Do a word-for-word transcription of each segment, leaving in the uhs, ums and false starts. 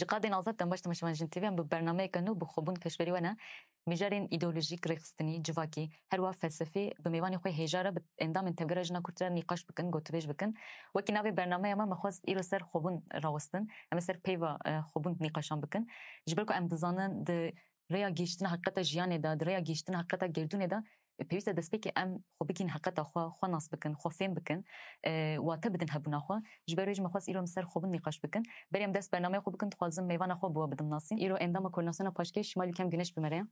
Ji qadên azad dem baş temaşevan Jin T V em bi bernameyeke nû bi xwebûn pêşberî we ne. Mijarên îdeolojîk, rêxistinî, civakî, her wiha felsefî bi mêvanê xwe hêja re bi endamên Tevgera Jina Kurd re nîqaş bikin, gotûbêj bikin. Wekî navê bernameya me, me xwest îro ser xwebûn rawestin. Em ê ser peyva, e, xwebûn nîqaşan bikin. Ji ber ku em dizanin di rêya gihîştina heqîqeta jiyanê de, di rêya gihîştina heqîqeta gerdûnê de, e, pêwîst e destpêkê em xwe bigihînin heqîqeta xwe, xwe nas bikin, xwe fêm bikin, e, wate bidin hebûna xwe. Ji ber wê jî me xwest îro em ser xwebûn nîqaş bikin. Berê em dest bernameya xwe bikin, dixwazim mêvana xwe bi we bidim nasîn. Îro endama Koordînasyona Paşkêş Şimal Ülkem Güneş bi me re ye.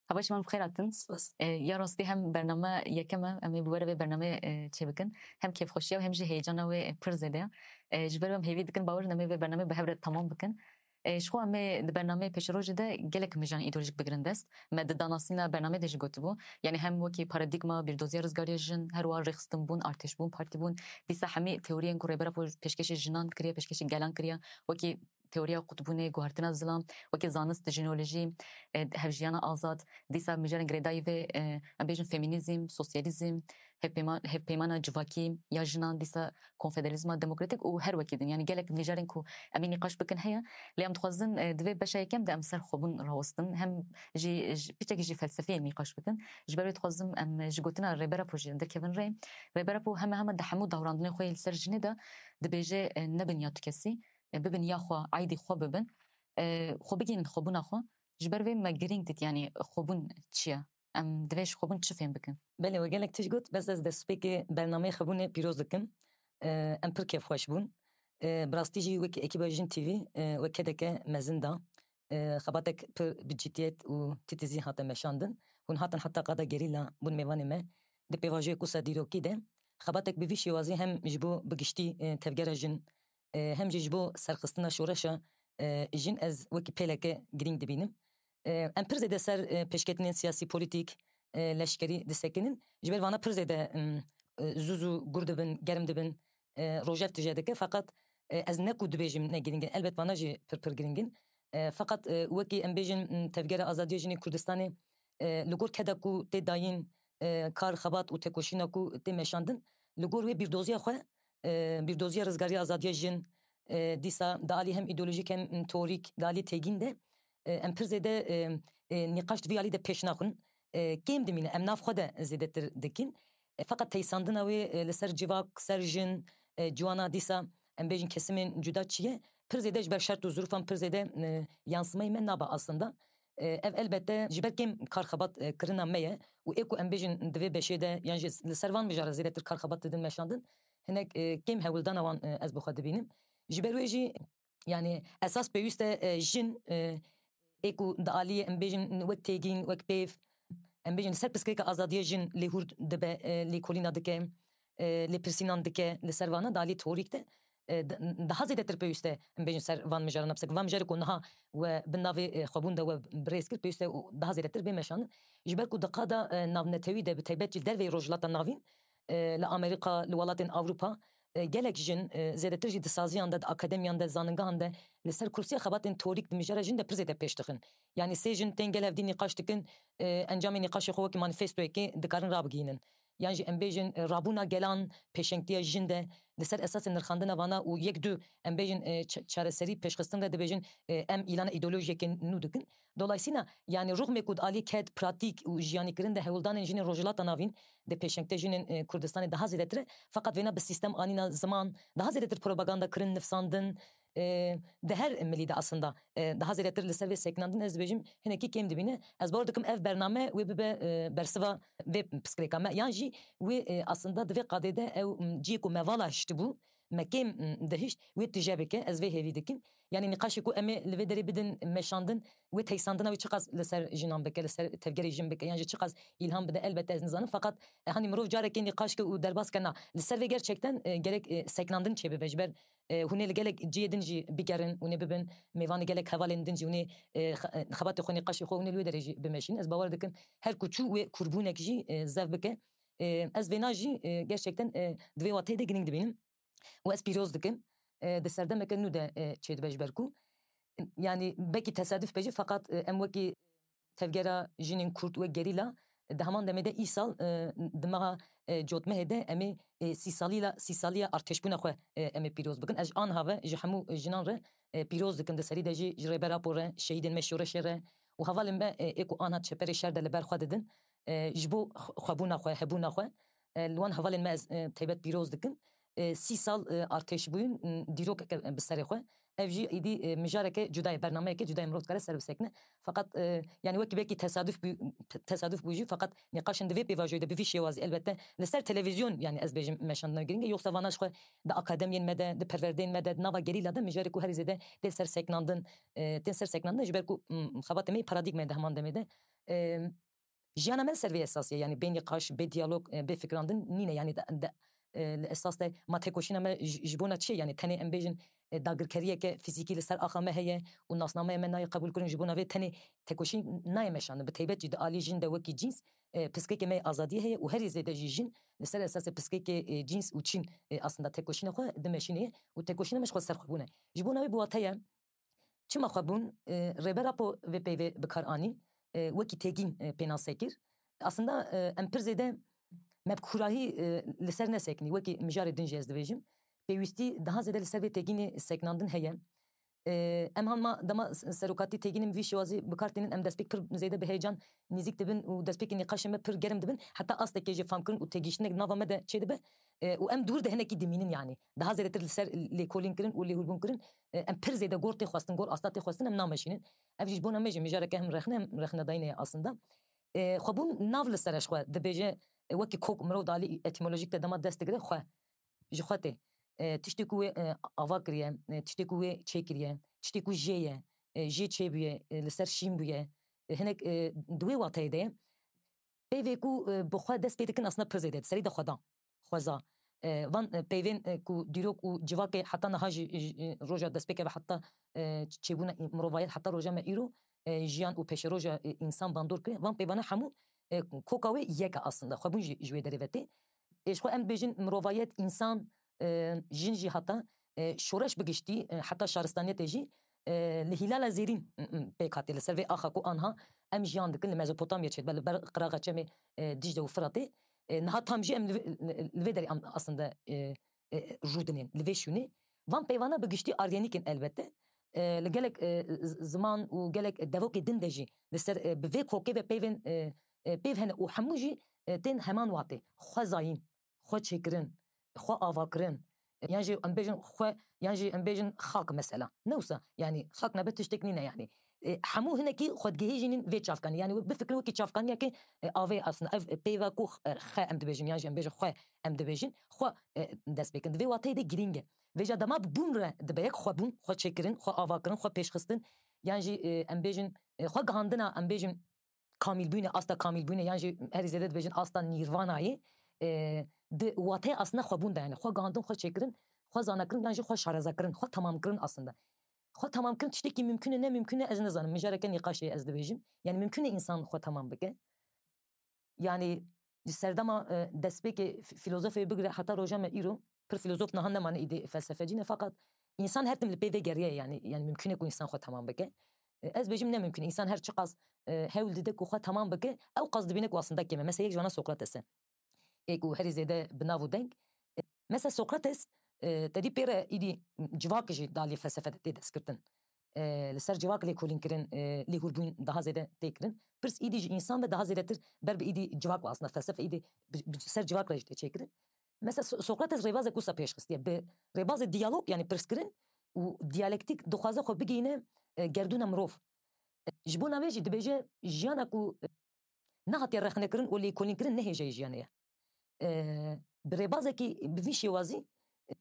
Hava şiman bi xêr hatin. Spas. E, ya rastî hem bername yekem e, em ê bi we re vê bernameyê, e, çêbikin. Hem kêfxweşiya û hem jî heyecana wê, e, pir zêde ye. E, ji ber wê em hêvî dikin, bawer in em ê vê bernameyê bi hev re temam bikin. E, ji xwe em ê di bernameyê pêşerojê de gelek mijarên îdeolojîk bigirin dest. Me di danasîna bernameyê de jî gotibû. Yanî hem wekî paradîgma, bîrdoziya rizgariya jin, her wiha rêxistinbûn, artêşbûn, partîbûn. Dîsa hemî teoriyên ku Rêber Apo pêşkêşê jinan kiriye, pêşkêşê gelan kiriye. Wekî teoriya qutbûnê, guhertina zilam, wekî zanist, jinolojî, e, hevjiyana azad, dîsa mijarên girêdayî vê, e, em bêjin femînîzm, sosyalîzm, hevpeyma-, hevpeymana civakî ya jinan, dîsa konfederalîzma demokratîk û her wekî din. Yanî gelek mijarên ku em ê nîqaş bikin heye. Lê em dixwazin, e, di vê beşa yekem de em ser xwebûn rawestin. Hem jî, ji, piçekî jî felsefeyê nîqaş bikin. Ji ber wê dixwazim em ji gotina Rêber Apo jî derkevin rê. Rêber Apo heme heme di hemû dawrandinê xwe yê li ser jinê de dibêje, e, nebin ya tu kesî, e, bibin ya xwe, aîdî xwe bibin. E, xwe bigihînin xwebûna xwe. Ji ber vê me girîng dît, yanî xwebûn çi ye? Em divê ji xwebûn çi fêm bikin? Belê, we gelek tişt got, bes ez destpêkê bernameyê xwebûnê pîroz dikim. E, em pir kêfxweş bûn. E, bi rastî jî wekî ekîba Jin T V, e, we kedeke mezin da. E, xebatek pir bi ciddiyet û titizî hate meşandin. Hûn hatin heta qada gerîla bûn mêvanê me. Di pêvajoyek wisa dîrokî de xebatek bi vî şêwazî hem ji bo bi giştî, e, tevgera jin, e, hem jî ji bo serxistina şoreşa, e, jin ez wekî pêleke girîng dibînim. E, em pir zêde ser, e, pêşketinên siyasî, polîtîk, e, leşkerî disekinin. Ji ber vana pir zêde, em, e, zû zû gur dibin, germ dibin, e, rojef tije dike. Feqet, e, ez ne ku dibêjim ne girîng in. Elbet vana jî pir pir girîng in. E, feqet, e, wekî em bêjin, m, Tevgera Azadiya Jinê Kurdistanê, e, li gor keda ku tê dayîn, e, kar, xebat û tekoşîna ku tê meşandin, li gor wê bîrdoziya xwe, e, bîrdoziya rizgariya azadiya jin, e, dîsa di alî hem îdeolojîk hem, m, teorîk di alî têgîn de, e, em pir zêde, e, e, nîqaş di vî alî de pêş naxin. E, kêm dimîne, em nav xwe de zêdetir dikin. E, feqet teysandina wê, e, li ser civak, ser jin, e, ciwana dîsa, em bêjin kesimên cuda çi ye, pir zêde ji ber şert û zirûfan pir zêde, e, yansımayî me nabe aslında. E, ev elbette ji ber kêm kar xebat, e, kirina me ye û ê ku em bêjin di vê beşê de yan jî li ser van mijara zêdetir kar xebat didin meşandin, hinek, e, kêm hewldana wan, e, ez bi xwe dibînim. Ji ber wê jî, yanî esas pêwîst e, e, jin, e, ê ku di aliyê em bêjin wek têgîn, wek pêv, em bêjin li ser pirsgirêka azadiya jin lêhûr dibe, e, lêkolîna dike, e, lêpirsînan dike li ser vana di alî teorîk de, e, di-, daha zêdetir pêwîst e, em bêjin ser van mijarana, pirsek van mijarê ku niha we bin navê, e, xwebûn de we bi rêz kir, pêwîst e û daha zêdetir bê meşandin. Ji ber ku di qada, e, navnetewî de bi taybet jî li derveyî Rojhilata Navîn, e, li Amerîka, li welatên Ewropa, e, gelek jin, e, zêdetir jî di saziyan de, di akademiyan de, zaningehan de li ser kursiya xebatên teorîk di mijara jin de pir zêde pêş dixin. Yanî sê jin tên gel hevdî nîqaş dikin, e, encamê nîqaşê xwe wekî manîfestoyekê dikarin rabigihînin. Yan jî em bêjin, e, rabûna gelan pêşengtiya jin de li ser esasê nirxandina vana û yek du em bêjin, e, ça-, çareserî pêşxistin re dibêjin, e, em îlana îdeolojiyekê nû dikin. Dolayısıyla, yanî rûxmê ku di alî ked, pratîk û jiyanîkirin de hewldanên jinên Rojhilata Navîn di pêşengte jinên, e, Kurdistanê daha zêdetir e. Feqet vêna bi sîstem anîna ziman, daha zêdetir propaganda kirin, nifsandin, e, di her milî de aslında, e, daha zêdetir li ser vê sekinandin ez dibêjim hinekî kêm dibîne. Ez bawer dikim ev bername wê bibe, e, bersiva vê pirsgirêka me. Yan jî wê, e, aslında di vê qadê de ew, m, cihê ku me vala hiştibû, me kêm, m, dihişt, wê tije bike, ez vê hêvî dikim. Yanî nîqaşê ku em ê li vê derê bidin meşandin, wê teysandina wê çiqas li ser jinan bike, li ser tevgerê jin bike, yan jî çiqas îlham bide, elbette ez nizanim. Feqet, e, hanî mirov carekê nîqaş ke û derbas ke na. Li ser vê gerçekten, e, gerek, e, sekinandin çêbibe. Ji ber, e, hûn ê li gelek cihê din jî bigerin, hûn ê bibin mêvanê gelek hevalên din jî, hûn ê, e, xe-, e, xebatê xwe, nîqaşê xwe hûn ê li wê derê jî bimeşînin. Ez bawer dikim her ku çû wê kûrbûnek jî, e, zev bike. E, ez vêna jî, e, gerçekten, e, di vê wateyê de girîng dibînim. Û ez pîroz dikim, e, di serdemeke nû de, e, çêdibe ji ber ku, yanî belkî tesaduf be jî, feqet, e, em wekî tevgera jinên Kurd, wek gerîla, di heman demê de îsal, e, di meha e, cotmehê de em ê, e, sî salî la, sî saliya artêşbûna xwe, e, em ê pîroz bikin. Ez ji anha ve ji hemû jinan re, e, pîroz dikim. Di serî de jî ji Rêber Apo re, şehîdên me şoreşê re û hevalên me, e, ê ku anha çeperê şer de li ber xwe didin, e, ji bo xwe-, xwebûna xwe, hebûna xwe, e, li wan hevalên me ez, e, taybet pîroz dikim. E, sî sal, e, artêşbûyîn, m, dîrokeke bi serê xwe. Ev jî îdî, e, mijareke cuda ye, bernameyeke cuda ye, mirov dikare ser bisekine. Feqet, e, yani wekî belkî tesaduf bû, te-, tesaduf bû jî, feqet nîqaşên di vê pêvajoyê de bi vî şêwazî, elbette li ser televîzyon, yani ez bêjim meşandina girîng e, yoksa vana ji xwe di akademiyên me de, di perwerdeyên me de, di nava gerîla de mijarê ku herî zêde tê ser seknandin, e, tên ser seknandin ji ber ku, m, xebatê me yê paradîgmayê de heman demê de, e, jiyana me li ser vê esasî ye, yani bê nîqaş, bê diyalog, e, bê fikirandin nîne, yani de, de, e, li esas de ma têkoşîna me ji, ji bona çi ye? Yani tenê em bêjin, e, dagirkeriyeke fîzîkî li ser axa me heye û nasnameya me nayê qebûlkirin, ji bona vê tenê têkoşîn nayê meşandin. Bi taybet jî di alî jin de wekî cîns, e, piskeke me yê azadiyê heye û herî zêde jî jin li ser esasê piskeke, e, cîns û çîn, e, aslında têkoşîna xwe dimeşîne û têkoşîna me ji xwe ser xwe bûne. Ji bona wê bi wate ye, çima xwebûn, e, Rêber Apo vê peyvê bi kar anî, e, wekî têgîn, e, pênase kir. Aslında, e, em pir zêde me bi kûrahî, e, li ser neseknî, wekî mijarê din jî ez dibêjim. Pêwîstî daha zêde li ser vê têgînê seknandin heye. E, em hanma dema s-, serokatî têgînên vî şêwazî bi kar tînin, em destpêk pir zêde bi heyecan nîzîk dibin û destpêkê nîqaşên me pir germ dibin. Heta astekê jî famkirin û têgihiştinek nava me de çêdibe. E, û em dûr de hinekî dimînin, yanî daha zêdetir li ser lêkolîn kirin û lêhûrbûn kirin, e, em pir zêde gor tê xwestin, gor asta tê xwestin, em nameşînin. Ev jî ji bona me jî mijareke hem rexne hem rexnedayînê ye aslında. E, xwebûn nav li ser e ji xwe dibêje, e, wekî kok mirov di alî etîmolojîk de dema dest digire xwe, ji xwe tê. E, tiştê ku wê, e, ava kiriye, e, tiştê ku wê çêkiriye, tiştê ku jê ye, e, jê çêbûye, e, li ser şîn bûye, e, hinek, e, di wê wateyê de ye. Peyvê ku, e, bi xwe dest pê dikin aslında pir zêde di serî de xwe da. Xweza. E, van, e, peyvên, e, ku dîrok û civakê heta niha jî, e, roja destpêkê ve heta, e, çêbûna î-, mirovayet heta roja me îro, e, jiyan û pêşeroja, e, însan bandor kiriye. Van peyvana hemû, e, koka wê yek e aslında. Xwebûn jî ji wê derê ve tê. Ê ji xwe em dibêjin mirovayet, însan, e, jin jî heta, e, şoreş bi giştî, e, heta şaristaniyetê jî, e, li Hîlala Zêrîn, m, m, pêk hatî, li ser vê axa ku anha em jiyan dikin, li Mezopotamya çêdibe, li ber qiraxa çemê, e, Dîcle û Firatê. E, niha tam jî em li vê, li, li vê derê em aslında, e, e, rûdinên, li vê şûnê. Van peyvana bi giştî aryenîk in elbette. E, li gelek, e, z-, ziman û gelek devokê din de jî li ser, e, bi vê kokê ve peyvên, e, e, peyv hene û hemû jî, e, tên heman watê. Xwezayîn, xwe çêkirin, xwe avakirin, e, yan jî em bêjin xwe, yan jî em bêjin xak mesela. Ne wisa, yanî xak nebe tiştek nîne yanî. E, hemû hinekî xwe digihîjînin vê çavkanî. Yanî bifikirin wekî çavkaniyekê, e, avê aslında. Ev, e, peyva ku, e, xe em dibêjin, yan jî em bêjin xwe em dibêjin. Xwe, e, dest pê kirin. Di vê wateyê de girîng e. Vêca dema bi bûn re dibe yek xwebûn, xwe çêkirin, xwe avakirin, xwe pêşxistin. Yan jî, e, em bêjin, e, xwe gihandina, em bêjin kamîlbûyînê, asta kamîlbûyînê, yan jî herî zêde dibêjin asta nîrvanayê, e, di wateya aslında xwebûn de, yani xwe gihandin, xwe çêkirin, xwe zanakirin, yan jî xwe şarezakirin, xwe temamkirin aslında. Xwe temamkirin tiştekî mimkun e, ne mimkun e, ez nizanim. Mijareke nîqaşê ez dibêjim. Yani mimkun e însan xwe temam bike. Yani ji serdema, e, destpêkê f-, filozofê bigire heta roja me îro, pir filozof niha nemane îdî felsefecî ne, feqet însan her tim li pê vê geriye, yani, yani mimkun e ku însan xwe temam bike. E, ez bêjim ne mimkun e. Însan her çiqas, e, hewl dide ku xwe temam bike, ew qas dibîne ku aslında kêm e. Mesela yek ji vana Sokrates e. Ê ku herî zêde bi nav û deng. E, mesela Sokrates, e, te dî pê re îdî civak jî di alî felsefe de tê destgirtin. E, li ser civak lêkolîn kirin, e, lêhûrbûn daha zêde tê kirin. Pirs îdî ji însan ve daha zêdetir ber bi îdî civak ve aslında felsefe îdî bi, bi ser civak re jî tê çêkirin. Mesela So-, Sokrates rêbazek wisa pêş xistiye. Bi rêbazê diyalog, yani pirskirin û diyalektîk dixwaze xwe bigihîne, e, gerdûna mirov. E, ji bona vê jî dibêje jiyana ku, e, nehatiye rexnekirin û lêkolînkirin ne hêjayî jiyanê ye. E, bi rêbazekî bi vî şêwazî, e,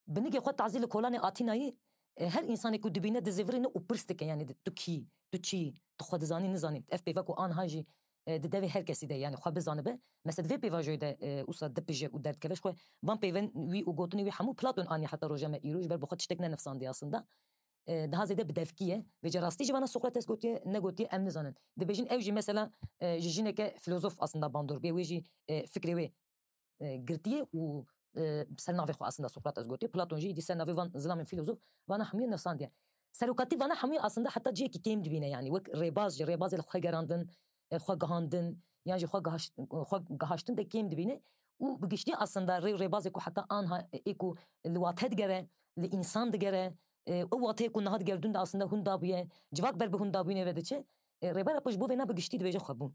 binigê xwe tazî li kolanê Atînayê, e, her însanê ku dibîne dizivirîne û pirs dike, yani tu kî, tu çi, tu xwe dizanî, nizanî. Ev pêva ku anha jî, e, di devê her kesî de, yani xwe bizanibe. Mesela di vê pêvajoyê de, e, wisa dipije û derdikeve ji xwe. Van peyvên wî û gotinê wî hemû Platon aniye heta roja me îro, ji ber bi xwe tiştek nenivsandiye aslında. E, daha zêde bi devkî ye. Vêca rastî ji vana Sokrates gotiye, negotiye, em nizanin. Dibêjin ew jî mesela, e, ji jineke filozof aslında bandor bûye, wê jî, e, fikrê wê, e, girtiye û, e, ser navê xwe aslında Sokrates gotiye. Platon jî îdî ser navê van zilamên filozof vana hemûyê nivsandiye. Serokatî vana hemûyê aslında heta cihekî kêm dibîne, yani wek rêbaz jî, rêbazê li xwe gerandin, e, xwe gihandin, yan jî xwe gihaş-, xwe gihaştin de kêm dibîne. û bi giştî aslında rê û rêbazê ku heta anha ê ku li wate digere, li însan digere, e, ew wateyê ku niha digerdûn de aslında hûn dabûye, civak ber bi hûn dabûyînê ve diçe, e, Rêber Apo ji bo vêna bi giştî dibêje xwebûn.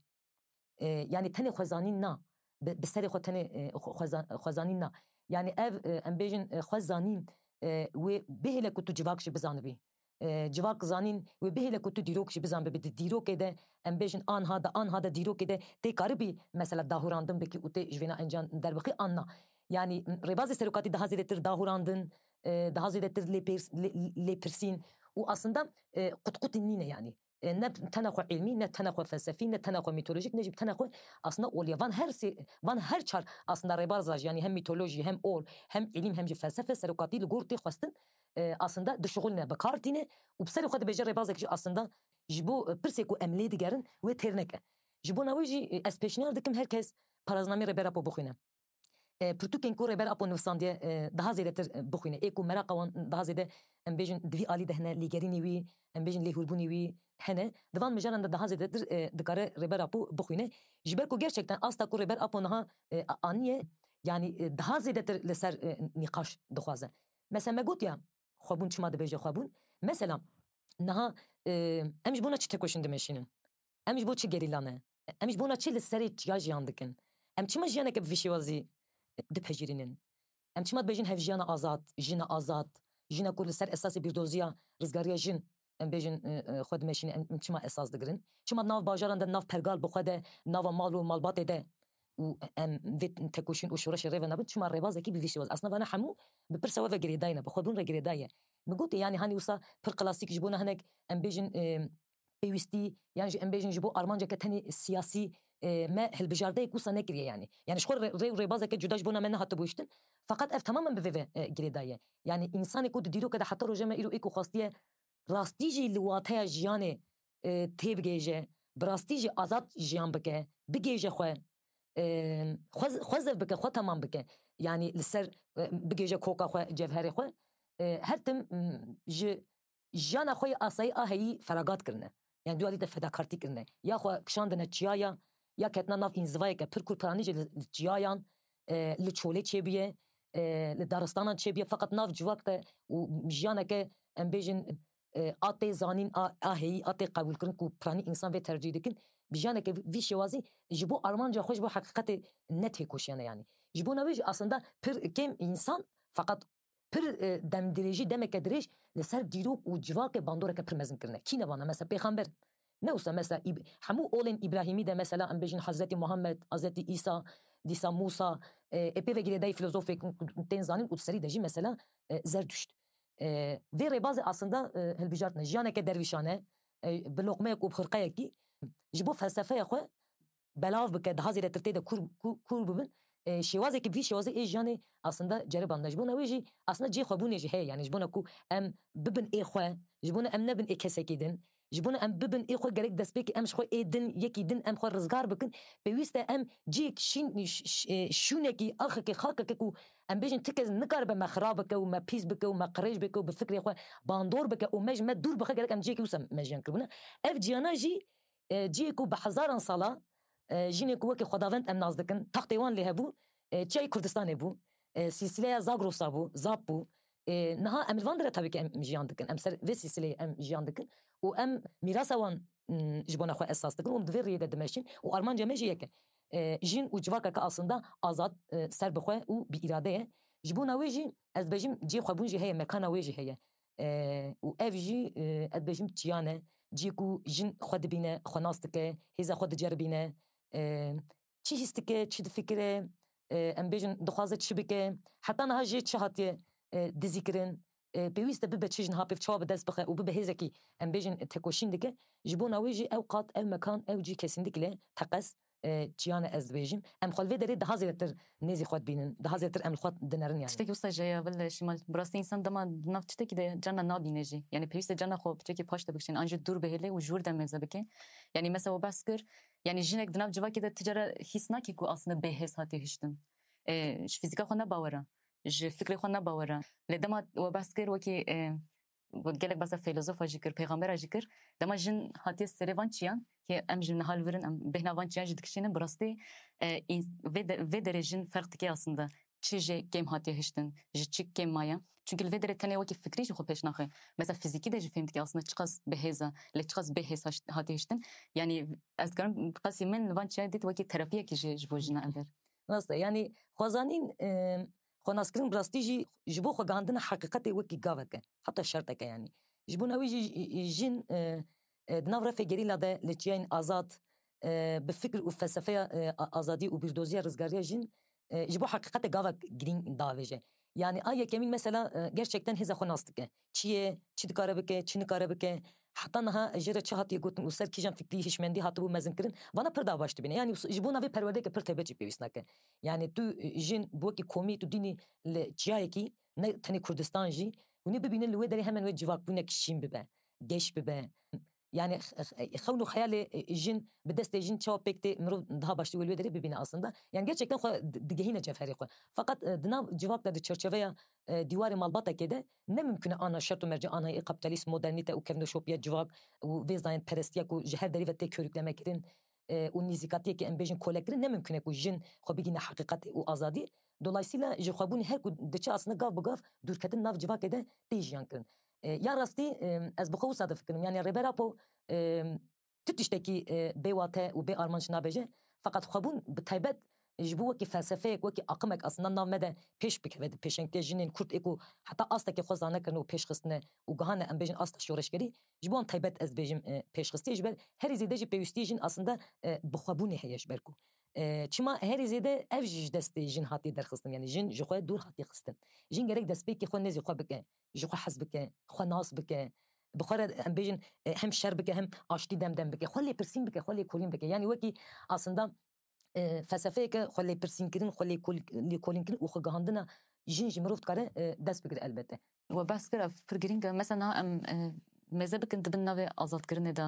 E, yani tenê xwezanîn na, bi, bi serê xwe tenê, e, xwe-, xweza-, xwezanîn na. Yani ev, e, em bêjin, e, xwezanîn, e, wê bihêle ku tu civak jî bizanibî. E, civak zanîn wê bihêle ku tu dîrok jî bizanibî. Di dîrokê de em bêjin anha de, anha de dîrokê de tê karibî mesela dahurandin bikî û tê ji vêna encam derbixî an na. Yani, m, rêbazê serokatî daha zêdetir dahurandin, e, daha zêdetir lêpêrs-, lê-, lêpirsîn û aslında, e, qutqutî nîne yani. E, ne tena xwe îlmî, ne tena xwe felsefî, ne tena xwe mîtolojîk, ne jî tena xwe aslında olya. Van her sê, van her çar aslında rêbaza jî, yani hem mîtolojî, hem ol, hem îlim, hem jî felsefe serokatî li gor tê xwestin. E, aslında dişuxulne, bi kar tîne û bi serê xwe dibêje rêbazek jî aslında ji bo, e, pirsê ku em lê digerin wê têr neke. Ji bona wê jî, e, ez pêşniyar dikim her kes paraznamê Rêber Apo bixwîne. E, pirtûkên ku Rêber Apo nivîsandiye, e, daha zêdetir, e, bixwîne. Ê ku meraqa wan daha zêde, em bêjin, di vî alî de hene, lêgerînê wî, em bêjin, lêhûrbûnê wî hene. Di van mijaran de daha zêdetir, e, dikare Rêber Apo bixwîne. Ji ber ku gerçekten asta ku Rêber Apo niha, e, a-, aniye, yani, e, daha zêdetir li ser, e, nîqaş dixwaze. Mesela me gotiya, xwebûn çima dibêje xwebûn? Mesela, niha, e, em ji bona çi tekoşîn dimeşînin? Em ji bo çi gerîla ne? Em ji bona çi li serê çiya jiyan dikin? Em çima jiyaneke bi vî şêwazî dipejirînin? Em çima dibêjin hevjiyana azad, jina azad, jina ku li ser esasê bîrdoziya rizgariya jin, em bêjin, e, e, xwe dimeşîne, em, em çima esas digirin? Çima nav bajaran de, nav pergal bi xwe de, nava mal û malbatê de û em vê tekoşîn û şoreşê rê ve nabin? Çima rêbazekî bi vî şêwazî? Aslında vana hemû bi pirsa we ve girêdayî ne, bi xwebûn re girêdayî ye. Min gotê, yani, hanî wisa pir klasîk ji bona hinek, em bêjin, e, pêwîstî, yan jî em bêjin ji bo armanceke tenê siyasî, e, me hilbijardeyek wisa nekiriye yani. Yani ji xwe re-, rê û rêbazeke cuda ji bona me nehatibû hiştin. Feqet ev tamamen bi vê ve, e, girêdayî ye. Yani însanê ku di dîroke de heta roja me îro ê ku xwestiye rastî jî li wateya jiyanê, e, têbigêje, bi rastî jî azad jiyan bike, bigêje xwe, e, xwe, xwe zev bike, xwe temam bike. Yani li ser, e, bigêje koka xwe, cevherê xwe. E, her tim, m, ji jiyana xwe yê asayî a heyî feragat kirine. Yani du alî de fedakartî kirine. Ya xwe kişandine çiyaya, ya ketine nav înzivayeke pir ku piranî jî li, li çiyayan, e, li çolê çêbûye, e, li daristanan çêbûye. Feqet nav civak de û jiyaneke, em bêjin, e, a tê zanîn, a, a heyî, a tê qebûlkirin ku piranî însan vê tercîh dikin. Bi jiyaneke vî şêwazî ji bo armanca xwe, ji bo heqîqetê ne têkoşiyane yani. Ji bona wê jî aslında pir kêm însan, feqet pir, e, demdirêjî, demeke dirêj li ser dîrok û civakê bandoreke pir mezin kirine. Kî ne vana? Mesela pêxember. Ne wisa mesela Îb-, hemû olên Îbrahîmî de mesela em bêjin Hezretî Muhammed, Hezretî Îsa, dîsa Mûsa, e, ê pê ve girêdayî filozofê ku tên zanîn û di serî de jî mesela, e, Zerduşt. E, vê rêbazê aslında, e, hilbijartine. Jiyaneke dervîşane, e, bi loqmeyek û bi xirqeyekî ji bo felsefeya xwe belav bike, daha zêdetir tê de kûr, kû-, kûr bibin. E, şêwazekî bi vî şêwazê ê jiyanê aslında ceribandine. Ji bona wê jî aslında cihê xwebûnê jî heye. Yani ji bona ku em bibin ê xwe, ji bona em nebin ê kesekî din, ji bona em bibin ê xwe gerek destpêkê em ji xwe ê din, yekî din em xwe rizgar bikin. Pêwîst e em cihêk şîn-, ş-, ş-, e, şûnekî, axekê, xakeke ku em bêjin ti kes nikaribe me xirab bike û me pîs bike û me qirêj bike û bi fikrê xwe bandor bike û me ji me dûr bixe, gerek em cihêkî wisa me jiyan kiribûne. Ev ciyana jî e, cihê ku bi hezaran sala, e, jinê ku wekî xwedavend em nas dikin, taxtê wan lê hebû, e, çiyayê Kurdistanê bû, e, sîlsîleya Zagrosa bû, Zap bû. E, niha em li van dire tabii ki em jiyan dikin, em ser vê sîlsîleyê em jiyan dikin û em mîrasa wan, m, ji bona xwe esas dikin û em di vê riyê de dimeşin û armanca me jî yek e. E, jin û civakeke aslında azad, e, serbixwe û bi îrade ye. Ji bona wê jî ez dibêjim cihê xwebûn jî heye, mekana wê jî heye. E, û ev jî, e, ez dibêjim çiya ne, cihê ku jin xwe dibîne, xwe nas dike, hêza xwe diceribîne, e, çi hîs dike, çi difikire, e, em bêjin dixwaze çi bike, heta niha jê çi hatiye, e, dizîkirin, e, pêwîst e bibe çi ji niha pêv çawa bi dest bixe û bibe hêzekî, em bêjin, tekoşîn dike. Ji bona wê jî ew qat, ew mekan, ew cî kesîndikî le teqez, e, çiyane ez dibêjim. Em xwe li vê derê daha zêdetir nêzî xwe dibînin, daha zêdetir em li xwe dinerin yani. Tiştekî wisa ji heye, Şîmal. Bi rastî însan dema di nav tiştekî de carna nabîne jî. Yani pêwîst e carna xwe bi tiştekî paş de bikişîne, an jî dûr bihêle û ji wir de mêze bike. Yani mesela we behs kir, yani jinek di nav civakê de ti cara hîs nakî ku aslında bêhêz hatiye hiştin. E, ji fîzîka xwe ne bawer e. Ji fikrê xwe ne bawer e. Lê dema we behs kir wekî, e, gelek behsa feylezofa jî kir, pêxambera jî kir. Dema jin hatiye serê van çiyan, ki em ji niha li vir in, em bêhna van çiyan jî dikişînin, bi rastî, e, ins-, vê de-, vê derê jin ferq dike aslında. Çi jê kêm hatiye hiştin, ji çi kêm maye. Çunkî li vê derê tenê wekî fikrî jî xwe pêş naxe. Mesela fizîkî de jî fêm dike aslında çiqas bi hêz e, lê çiqas bê hêz haş-, hatiye hiştin. Yanî ez dikarim qasî min li van çiyan dît wekî terapiyekî jî ji bo jina ev e. Rast e, yanî xwezanîn, e, xwenaskirin bi rastî jî ji bo xwegihandina heqîqetê wekî gavek e, heta şertek e yanî. Ji bona wî jî jin, e, e, di nav refê gerîla de li çiyayên azad, e, bi fikr û felsefeya, e, a-, azadî û bîrdoziya rizgariya jin, e, ji bo heqîqetê gavek girîng davêje. Yanî a yekemîn mesela, e, gerçekten hêza xwe nas dike. Çi ye, çi dikare bike, çi nikare bike. Heta niha jê re çi hatiye gotin û ser kîjan fikrî hişmendî hatibû mezinkirin. Vana pir daha baş dibîne. Yanî ji bo navê perwerdeyeke pir taybet jî pêwîst nake. Yanî tu, e, jin bi wekî komî tu dînî li çiyayekî, ne tenê Kurdistan jî, hûnê bibînin li wê derê hemen wê civakbûnek şîn bibe, geş bibe. Yanî x-, x-, xewn û xeyalê, e, jin bi destê jin çawa pêk tê, mirov daha baştir wê li wê derê bibîne aslında. Yanî gerçekten xwe di-, digehîne cevherê xwe. Feqet, e, di nav civak de di çerçeveya, e, dîwarê malbatekê de ne mimkun e ana şert û mercê anha yê kapîtalîst, modernîte û kevnoşopiya civak û vê zayendperestiya ku ji her derî ve tê körüklemekirin, e, û nîzîkatiyekî em bêjin kolekirin ne mimkun e ku jin xwe bigîne heqîqetê û azadî. Dolayısıyla ji xwebûnê her ku diçe aslında gav bi gav dûrketin nav civakê de tê jiyan kirin. E, ya rastî, e, ez bi xwe wisa difikirim. Yanî Rêber Apo, e, tu tiştekî, e, bê wate û bê armanc nabêje. Feqet xwebûn bi taybet ji bo wekî felsefeyek, wekî aqimek aslında nav me de pêş bikeve di pêşengtiya jinên Kurd ê ku heta astekê xwe zane kirine û pêş xistine û gihane em bêjin asta şoreşgerî, ji bo wan taybet ez dibêjim, e, pêş xistiye. Ji ber herî zêde jî pêwîstiyê jin aslında, e, bi xwebûnê heye ji ber ku, e, çima herî zêde ev jî ji destê jin hatiye derxistin. Yanî jin ji xwe dûr hatiye xistin. Jin gerek destpêkê xwe nêzî xwe bike, ji xwe hez bike, xwe nas bike. Bi xwe re em bêjin, e, hem şer bike hem aştî dem dem bike. Xwe lêpirsîn bike, xwe lêkolîn bike. Yanî wekî aslında, e, felsefeyeke xwe lêpirsînkirin, xwe lêkol-, lêkolînkirin û xwe gihandina jin ji mirov dikare, e, dest bigire elbette. We behs kir, ev pir girîng e. Mesela niha em, e, mêze bikin di bin navê azadkirinê de,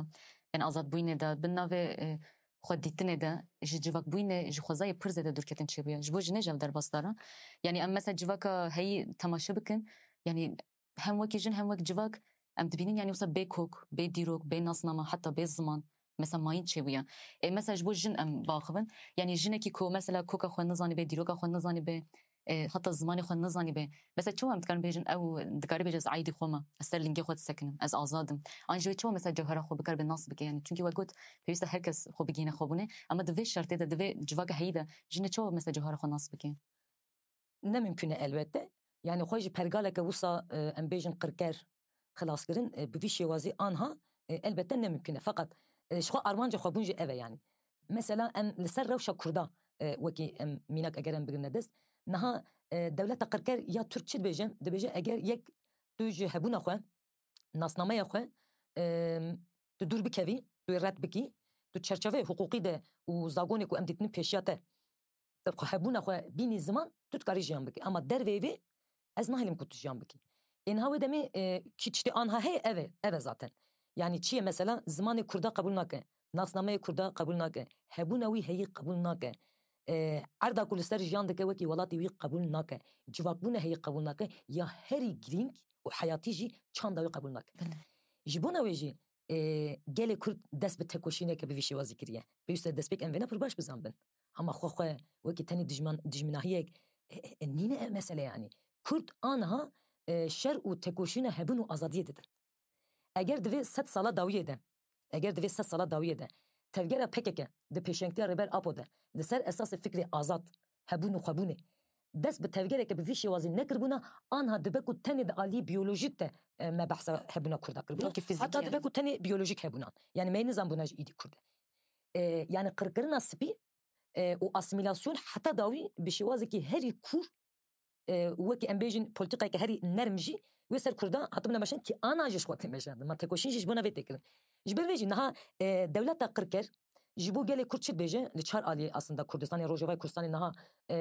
yani azadbûyînê de, bin navê, e, xwedîtinê de, ji civakbûyînê, ji xwezayê pir zêde dûrketin çêbûye. Ji bo jinê jî ev derbasdar e. Yani em mesela civaka heyî temaşe bikin, yani hem wekî jin hem wek civak em dibînin, yani wisa bê kok, bê dîrok, bê nasname, heta bê ziman, mesela mayîn çêbûye. Ê mesela ji bo jin em biaxivin, yani jinekî ku mesela koka xwe nizanîbe, dîroka xwe nizanîbe, e, heta zimanê xwe nizanîbe, mesela çawa em dikarin bêjin, ew dikare bêje ez aîdî xwe me, ez ser lingê xwe disekinim, ez azad im. An jî wê çawa mesela cewhera xwe bikaribe nas bike, yani çunkî we got pêwîst e her kes xwe bigihîne xwebûnê, ama di vê şertê de, di vê civaka heyî de jinê çawa mesela cewhera xwe nas bike? Ne mimkun e elbette. Yani xwe ji pergaleke wisa, e, em bêjin qirker xilaskirin, e, bi vî şêwazî anha, e, elbette ne mimkun e. Feqet, e, ji xwe armanca xwebûn jî ev e yani. Mesela em li ser rewşa Kurda, e, wekî em mînak eger em bigirine dest, niha, e, dewleta qirker ya Tirk çi dibêje? Dibêje eger yek tu ji hebûna xwe, nasnameya xwe, em, tu dûr bikevî, tu yê red bikî, tu çerçeveyê hiqûqî de û zagonê ku em dîtinin pêşiya te, te xwe hebûna xwe bînî ziman, tu dikarî jiyan bikî. Ama derveyî vê ez nahêlim ku tu jiyan bikî. Ê niha wê demê, e, kî tiştê anha heye, ev e, ev e zaten. Yani çi ye mesela? Zimanê Kurda qebûl nake, nasnameyê Kurda qebûl nake, hebûna wî heyî qebûl nake. E, erda ku li ser jiyan dike wekî welatê wî qebûl nake, civakbûna heyî qebûl nake, ya herî girîng û heyatî jî çanda wî qebûl nake. Belê. Ji bona wê jî, e, gelê Kurd dest bi tekoşîneke bi vî şêwazî kiriye. Pêwîst e destpêk em vêna pir baş bizanbin. Hema xwe xwe wekî tenê dijman-, dijminahiyek, e, e, nîne ev mesele yanî. Kurd aniha, e, şer û tekoşîna hebûn û azadiyê didin. Eger di vê sed sala dawiyê de, eger di vê sed sala dawiyê de tevgera P K K di pêşengtiya Rêber Apo de li ser esasê fikrê azad, hebûn û xwebûnê dest bi tevgereke bi vî şêwazî nekiribûna, anha dibe ku tenê di aliyê biyolojîk de, e, me behsa hebûna Kurda kiribûna. Belkî fizîkî Heta yani. Dibe ku tenê biyolojîk hebûnan. Yani me yê nizanbûna ji îdî Kurd e. E, yani qirkirina spî, e, û asîmîlasyon heta dawî bi şêwazekî herî kûr, e, wekî em bêjin polîtîkayeke herî nerm jî wê ser Kurda hatibûna meşandin, kî ana jî ji xwe tê meşandin. Ma tekoşîn jî ji bona vê tê kirin. Ji ber vê jî niha, e, dewleta qirker ji bo gelê Kurd çi dibêje? Li çar aliyê aslında Kurdistanê, Rojavayê Kurdistanê niha, e,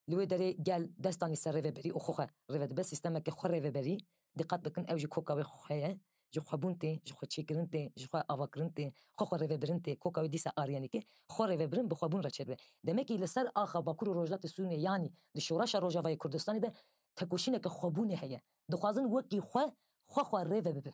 li wê derê gel dest danî ser rêveberî û xwe xwe rêve dibe, sîstemeke xwe rêveberî, diqet bikin, ew jî koka wê xwe ye, ji xwebûn tê, ji xwe çêkirin tê, ji xwe avakirin tê, xwe xwe rêvebirin tê, koka wê dîsa arîyenîk e, xwe rêvebirin bi xwebûn re çêdibe. Demekî li ser axa Bakur û Rojhilatê Sûriyê, yanî di şoreşa Rojavayê Kurdistanê de tekoşîneke xwebûnê heye. Dixwazin wekî xwe, xwe xwe rê ve bibin.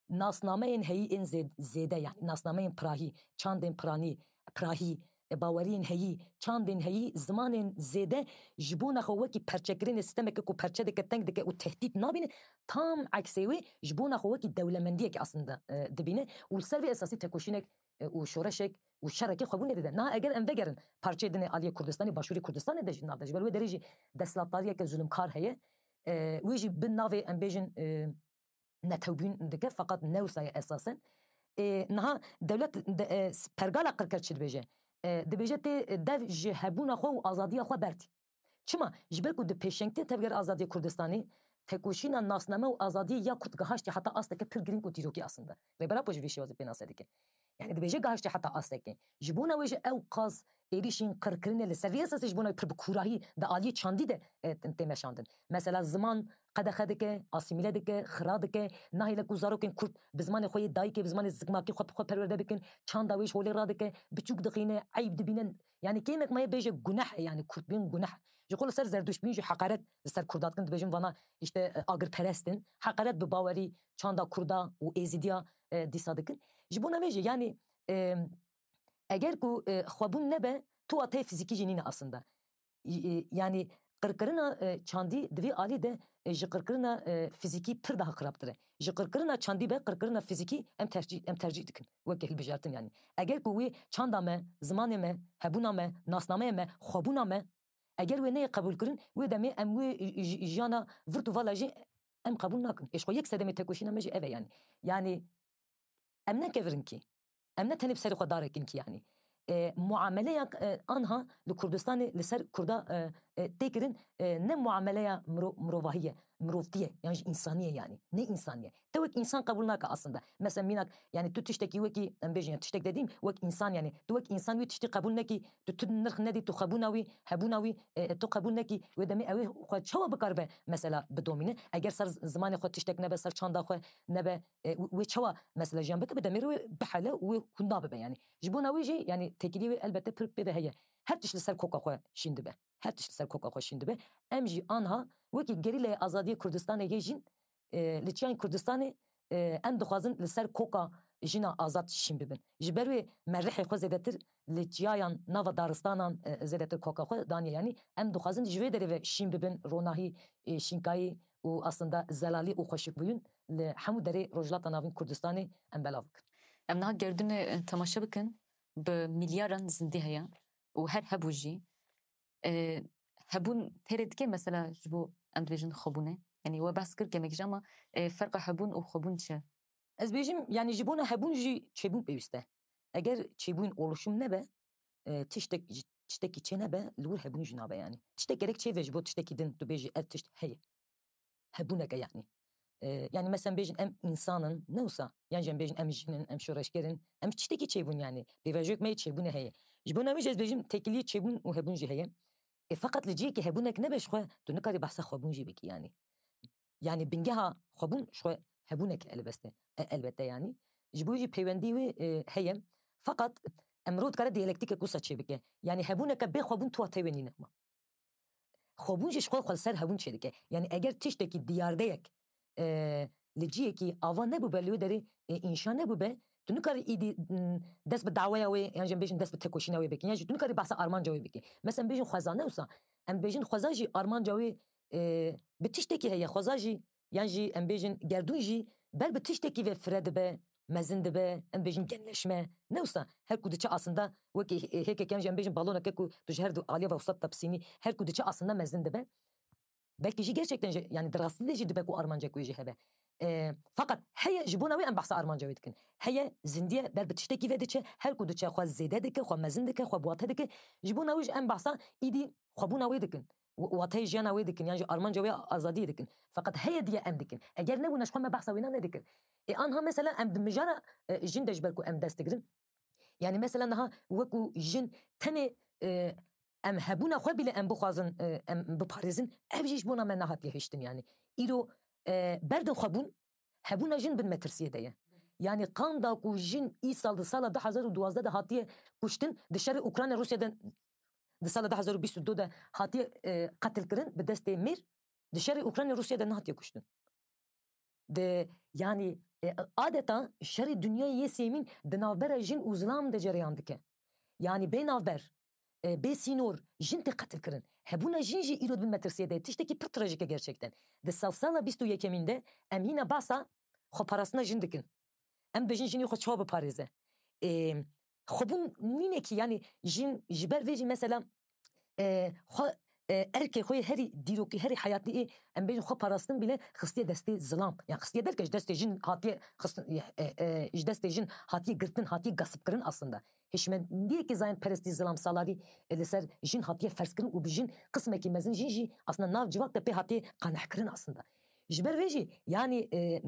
Nasnameyên heyî ên zê-, zêde, yanî nasnameyên pirahî, çandên piranî, pirahî, e, baweriyên heyî, çandên heyî, zimanên zêde ji bona xwe wekî perçekirinê, sîstemeke ku perçe dike, teng dike û tehdît nabîne, tam eksê wê ji bona xwe wekî dewlemendiyekê aslında, e, dibîne û li ser vê esasî tekoşînek, e, û şoreşek û şerekê xwebûnê dide. Niha eger em vegerin parçeyê din ê aliyê Kurdistanê, başûrê Kurdistanê de jî nav de, ji ber wê derê jî desthilatdariyeke zulumkar heye. E, wê jî bi navê, em bêjin, e, netewbûn dike, feqet ne wisa ye esasen. E, niha dewlet de, e, pergala qirker çi dibêje? E, dibêje tê dev ji hebûna xwe û azadiya xwe bertî. Çima? Ji ber ku di pêşengtiya tevger azadiya Kurdistanê tekoşîna nasname û azadiyê ya Kurd gihaştî heta asteke pir girîng û dîrokî aslında. Rêber Apo jî vê şêwazê pênase dike. Yani dibêje gihaştî heta astekê. Ji bona wê jî ew qas êrîşên qirkirinê li ser vê esasê ji bona wê pir bi kûrahî di aliyê çandî de, e, tê meşandin. Mesela ziman qedexe dike, asîmîle dike, xira dike, nahêle ku zarokên Kurd bi zimanê xwe yê dayikê, bi zimanê zikmakî xwe bi xwe perwerde bikin, çanda wê ji holê radike, biçûk dixîne, eyb dibîne. Yani kêmek maye bêje guneh e, yani Kurdbûn guneh e. Ji xwe li ser Zerduştbûn jî heqaret li ser Kurda dikin, dibêjin vana işte, e, agirperest in. Heqaret bi bawerî çanda Kurda û Êzidiya, e, dîsa dikin. Ji bona vê jî yani, e, eger ku, e, xwebûn nebe, tu wateyê fizîkî jî nîne aslında. Y-, e, yani qirkirina, e, çandî di vê alî de, e, ji qirkirina, e, fizîkî pir daha xirabtir e. Ji qirkirina çandî be qirkirina fizîkî em tercîh, em tercîh dikin. Weke hilbijartin yani. Eger ku wê çanda me, zimanê me, hebûna me, nasnameya me, xwebûna me, eger wê neyê qebûlkirin, wê demê em wê j-, j-, jiyana virt û vala jî em qebûl nakin. Ê ji xwe yek sedemê tekoşîna me jî ev e yani. Yani em ne kevirin kî. Em ne tenê bi serê xwe darekin kî yani. E, muameleya, e, anha li Kurdistanê li ser Kurda, e, e, tê kirin, e, ne muameleya miro-, mirovahî ye, mirovtî ye, yan jî însanî ye yani. Ne însanî ye. Te wek însan qebûl nake aslında. Mesela mînak, yani tu tiştekî wekî, em bêjin, yani tiştek dediğim, wek însan yani. Tu wek însan wî tiştî qebûl nekî, tu, tu nirx nedî, tu xwebûna wî, hebûna wî, e, e, tu qebûl nekî, wê demê ew ê xwe çawa bikaribe mesela bidomîne? Eger ser zimanê xwe tiştek nebe, ser çanda xwe nebe, e, wê çawa mesela jiyan bike, bi demê re wê bihele û wê hunda bibe yani. Ji bona wê jî yani têkiliyê wê elbette pir pê ve heye. Her tişt li ser koka xwe şîn dibe. Her tişt li ser koka xwe şîn dibe. Em jî anha wekî gerîlayê azadiyê Kurdistanê yê jîn, e, li çiyayên Kurdistanê, e, em dixwazin li ser koka jina azad şîn bibin. Ji ber wê me rihê xwe zêdetir li çiyayan nava daristanan, e, zêdetir koka xwe daniye. Yani em dixwazin ji vê derê ve şîn bibin, ronahî, e, şînkayî û aslında zelalî û xweşikbûyîn li hemû derê Rojhilata Navîn Kurdistanê em belav bikin. Em niha gerdûnê, e, temaşe bikin, bi milyaran zindî heye û her hebû jî, e, hebûn têrê dike mesela ji bo em dibêjin xwebûnê. Yani we behs kir kemek jî ama, e, ferqa hebûn û xwebûn çi? Ez bêjim, yani ji bona hebûn jî çêbûn pêwîst e. Eger çêbûn oluşum nebe, e, tiştek, tiştekî çê nebe, li wir hebûn jî nabe yani. Tiştek gerek çêve ji bo tiştekî din tu bêjî ev tişt heye. Hebûneke yani. E, yani mesela bêjin em însan in, ne wisa? Yan jî em bêjin em jin in, em şoreşger in, em tiştekî çêbûn yani. Pêvajoyek me yê çêbûnê heye. Ji bona wê jî ez bêjim têkiliyê çêbûn û hebûn jî heye. E, feqet li cihekî hebûnek nebe ji xwe, tu nikarî behsa xwebûn jî bikî yani. Yani bingeha xwebûn ji xwe hebûnek e elbeste, e, elbette yani. Ji bo jî peywendî wê, e, heye. Feqet em mirov dikare diyalektîkek wisa çêbike. Yani hebûneke bê xwebûn tu wateyê wê nîne. Xwebûn jî ji xwe xwe li ser hebûn çêdike. Yani eger tiştekî diyardeyek, e, li cihekî ava nebûbe, li wê derê, e, înşa nebûbe, tu nikarî îdî, m, dest bi daweya wê, yan jî em bêjin dest bi tekoşîna wê bikî, yan jî tu nikarî behsa armanca wê bikî. Mesela em bêjin xweza ne wisa, em bêjin xweza jî armanca wê, e, bi tiştekî heye, xweza jî, yan jî em bêjin gerdûn jî ber bi tiştekî ve fire dibe, mezin dibe, em bêjin genleşme. Ne wisa, her ku diçe aslında wekî hê-, hêkek yan jî em bêjin baloneke ku tu ji her du aliya ve wisa tepsînî, her ku diçe aslında mezin dibe. Belkî jî gerçekten jî, yani di rastî de jî dibe ku armancek wê jî hebe. E, feqet heye ji bona wê em behsa armanca wê dikin. Heye zindiye ber bi tiştekî ve diçe, her ku diçe xwe zêde dike, xwe mezin dike, xwe bi wate dike. Ji bona wê jî em behsa îdî xwebûna wê dikin. Wa-, wateyê jiyana wê dikin, yan jî armanca wê azadiyê dikin. Feqet heye diye em dikin. Eger nebûna ji xwe me behsa wêna nedikin. E, anha mesela em di mijara, e, jin de ji ber ku em dest digirin. Yani mesela niha wekû jin tenê, e, em hebûna xwe bîle em bixwazin, e, em biparêzin, ev jî ji bona me nehatiye hiştin yani. Îro, e, berdin xwebûn, hebûna jin bin metirsiyê de ye. Yani qanda ku jin îsal di sala du hezar û duwazdeh de hatiye kuştin, di şerê Ukrayna Rûsya de di sala du hezar û bîst û du de hatiye, e, qetilkirin bi destê mêr, di şerê Ukrayna Rûsya de nehatiye kuştin. Di, yanî, e, adeta şerê dinyayê yê sêmîn di navbera jin û zilam de cereyan dike. Yanî bê navber, e, bê sînor, jin tê qetilkirin. Hebûna jin jî îro di bin metirsiyê de ye. Tiştekî pir trajîk e gerçekten. Di sedsala bîst û yekemîn de em hîna behsa xweparastina jin dikin. Em dibêjin jinê xwe çawa biparêze. E, xwebûn nîne kî, yanî jin ji ber vê jî mesela, e, xwe, e, erkê xwe yê herî dîrokî, herî heyatî ê, em bêjin xwe parastin bîle xistiye destê zilam. Yan xistiye derke ji destê jin hatiye xistin, e, e, ji destê jin hatiye girtin, hatiye gasipkirin aslında. Hişmendiyekî zayendperestî zilam salarî, e, li ser jin hatiye ferzkirin û bi jin qismekî mezin jin jî aslında nav civak de pê hatiye qanehkirin aslında. Ji ber vê jî, yanî, e,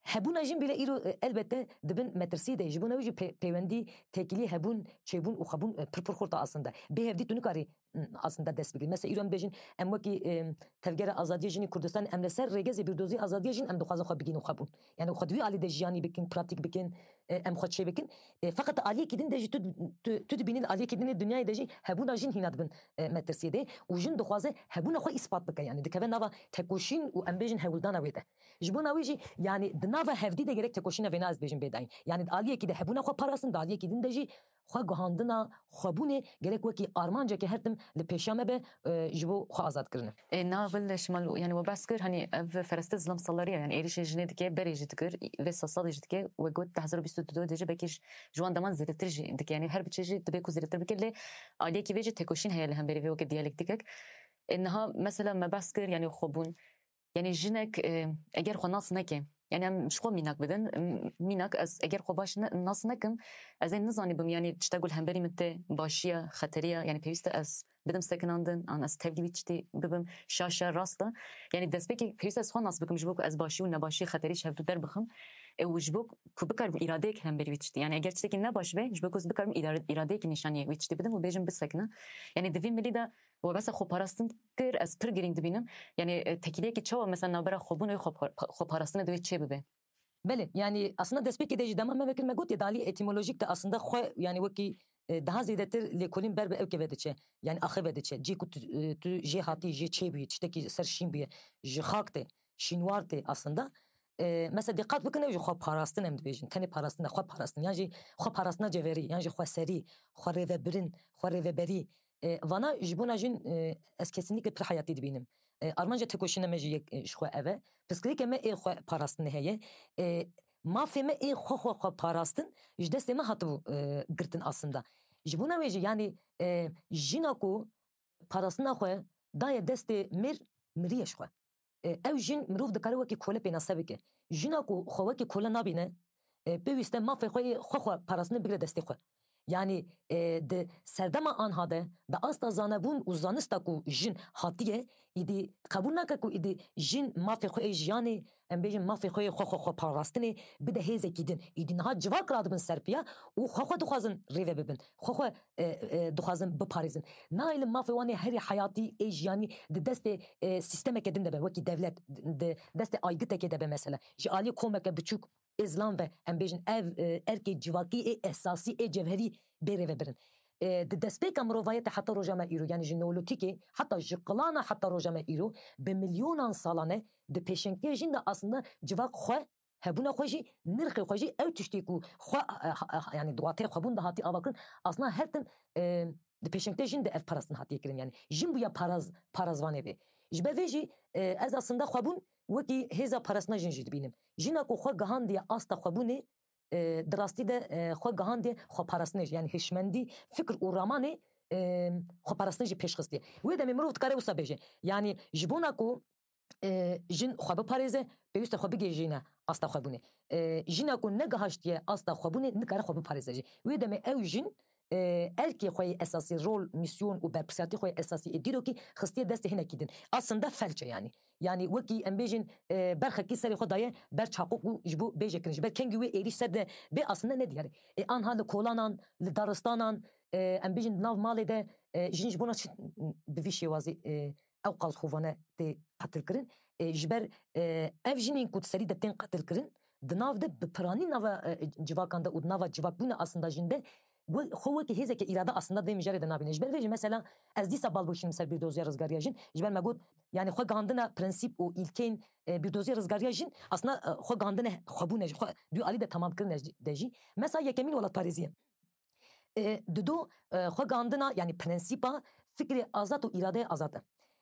hebûna jin bîle îro, e, elbette di bin metirsiyê de ye. Ji bona wî jî pê-, peywendî, têkilî hebûn, çêbûn û xwebûn, e, pir pir xurt e aslında. Bê hevdî tu nikarî, m, aslında dest bigirî. Mesela îro em bêjin, em wekî, e, Tevgera Azadiya Jinî Kurdistan, em li ser rêgezê bîrdozî azadiya jin em dixwazin xwe bigihînin xwebûn. Yani xwe di wî alî de jiyanî bikin, pratîk bikin, e, em xwe çêbikin. E, feqet aliyekî din de jî tu, tu, tu dibînî li aliyekî din ê dinyayê de jî hebûna jin hîna dibin, e, metirsiyê de û jin dixwaze hebûna xwe îspat bike. Yani dikeve nava tekoşîn û em bêjin hewldana wê de. Ji bona wê jî, yani di nava hevdî de gerek tekoşîna vêna ez dibêjim bê dayîn. Yani di aliyekî de hebûna xwe parastin, di aliyekî din de jî xwe guhandina xwebûnê gerek wekî armanceke her tim li pêşiya me be, e, ji bo xwe azad kirine. E, na vil Şimal, yani we behs kir, hani ev fereste zilam salariya, yani êrişê jinê dike, berê jî dikir, vê sed salê jî dike, we got di hezar û bîst û du de jî belkî ji, ji wan deman zêdetir jî dike, yani her biçe jî dibe ku zêdetir bike, lê aliyekî vê jî tekoşîn heye li hemberî vê weke diyalektikek. E, niha mesela me behs kir, yani xwebûn, yani jinek, e, eger xwe nas neke, yani em ji xwe mînak bidin, m-, mînak ez eger xwe baş ne-, nas nekim, ez ê nizanîbim, yani tişta ku li hemberî min tê başiya, xeteriya, yani pêwîst e ez bidim sekinandin, an ez tevlî wî tiştî bibim, şaş e, rast e. Yani destpêkê pêwîst e ez xwe nas bikim ji bo ku ez başî û nebaşî, xeterî ji hev du derbixim. E, û ji bo ku bikarim îradeyek hemberî wî tiştî. Yani eger tiştekî nebaş be, ji bo ku ez bikarim îra-, îradeyekî nîşanî wî tiştî bidim û bêjim bisekine. Yani di vî milî de we behsa xweparastin kir, ez pir girîng dibînim. Yani, e, tekîliyekî çawa mesela navbera xwebûn û xwe-, xweparastinê divê çê bibe? Belê, yani aslında destpêkê de jî dema me vekir me gotiye, di alî etîmolojîk de aslında xwe, yani wekî, e, daha zêdetir lêkolîn ber bi ew keve diçe. Yani axê ve diçe. Cî ku tu, e, tu jê hatî, jê çê bûyî, tiştekî ser şîn bûye. Ji xak tê, şînwar tê aslında. E, mesela dîqat bikin, ew jî xwe parastin em dibêjin. Tenê parastin e, xwe parastin. Yan jî xwe parastina cevherî, yan jî xweserî, xwe rêvebirin, xwe rêveberî. E, vana ji bona jin, e, ez kesinlikle pir heyatî dibînim. E, armanca tekoşîna me jî yek, e, ji xwe ev e. Pirsgirêkê me ê xwe parastinê heye. E, mafê me ê xwe xwe xwe parastin ji destê me hatibû, e, girtin aslında. Ji bona wê jî, yanî, e, jina ku parastina xwe daye destê mêr, miriye ji xwe. E, ew jin mirov dikare wekî kole pênase bike. Jina ku xwe wekî kole nabîne, e, pêwîste mafê xwe yê xwe xwe parastinê bigire destê xwe. Yanî, e, di serdema anha de, di asta zanebûn û zanista ku jin hatiye, îdî qebûl nake ku îdî jin mafê xwe yê jiyanê, em bêjin mafê xwe yê xwe xwe xwe parastinê bide hêzekî din. Îdî niha civak radibin ser piya û xwe xwe dixwazin rêve bibin. Xwe xwe, e, e, dixwazin biparêzin. Nayê li mafê wan ê herî heyatî ê jiyanî di destê, e, sîstemeke din de be, wekî dewlet, di destê aygıtekê de be mesela. Ji aliyê komeke biçûk ê zilam ve, em bêjin, ev, e, erkê civakî ê esasî ê cevherî bê rêvebirin. E, di destpêka mirovayetê heta roja me îro, yanî ji neolotîkê, heta ji qilana heta roja me îro, bi milyonan salane di pêşengtiya jin de aslında civak xwe, hebûna xwe jî, nirxê xwe jî, ew tiştê ku xwe, e, ha, ha, yanî di wateyê xwebûn de hatî avakirin, aslında her tim, e, di pêşengtiya jin de ev parastin hatiye kirin. Yanî jin bûya paraz-, parazvanê vê. Ji ber vê jî, e, ez aslında xwebûn wekî hêza parastina jin jî dibînim. Jina ku xwe gihandiye asta xwebûnê, e, di rastî de, e, xwe gihandiye xweparastinê jî. Yanî hişmendî, fikr û ramanê, e, xweparastinê jî pêş xistiye. Wê demê mirov dikare wisa bêje. Yanî ji bona ku, e, jin xwe biparêze, pêwîst e xwe bigihîjîne asta xwebûnê. E, jina ku negihaştiye asta xwebûnê, nikare xwe biparêze jî. Wê demê ew jin, e, erkê xwe yê esasî, rol, mîsyon û berpirsiyatî xwe yê esasî ê dîrokî xistiye destê hinekî din. Aslında felç e yanî. Yanî wekî em bêjin, e, berxekî serê xwe daye ber çaqok û ji bo bêje kirin. Ji ber kengî wê êrîş ser de bê aslında nediyar e. E, anha li kolanan, li daristanan, e, em bêjin di nav malê de, e, jin ji bona çi bi vî şêwazî, e, ew qas xovane tê qetilkirin. E, ji ber, e, ev jinên ku di serî de tên qetilkirin, di nav de bi piranî nava, e, civakan de û di nava civakbûna aslında jin de, we-, xwe wekî hêzeke îrade aslında di vê mijarê de nabîne. Ji ber vê jî mesela ez dîsa bal bûşînim ser bîrdoziya rizgariya jin. Ji ber me got, yani xwe gihandina prensîp û îlkeyên, e, bîrdoziya rizgariya jin aslında, e, xwe gihandine xwebûne jî, xwe dualî de tamam kirine jî, de jî. Mesela yekemîn welatparêzî ye. E, dido, e, xwe gihandina, yani prensîpa fikrê azad û îradeyê azad e.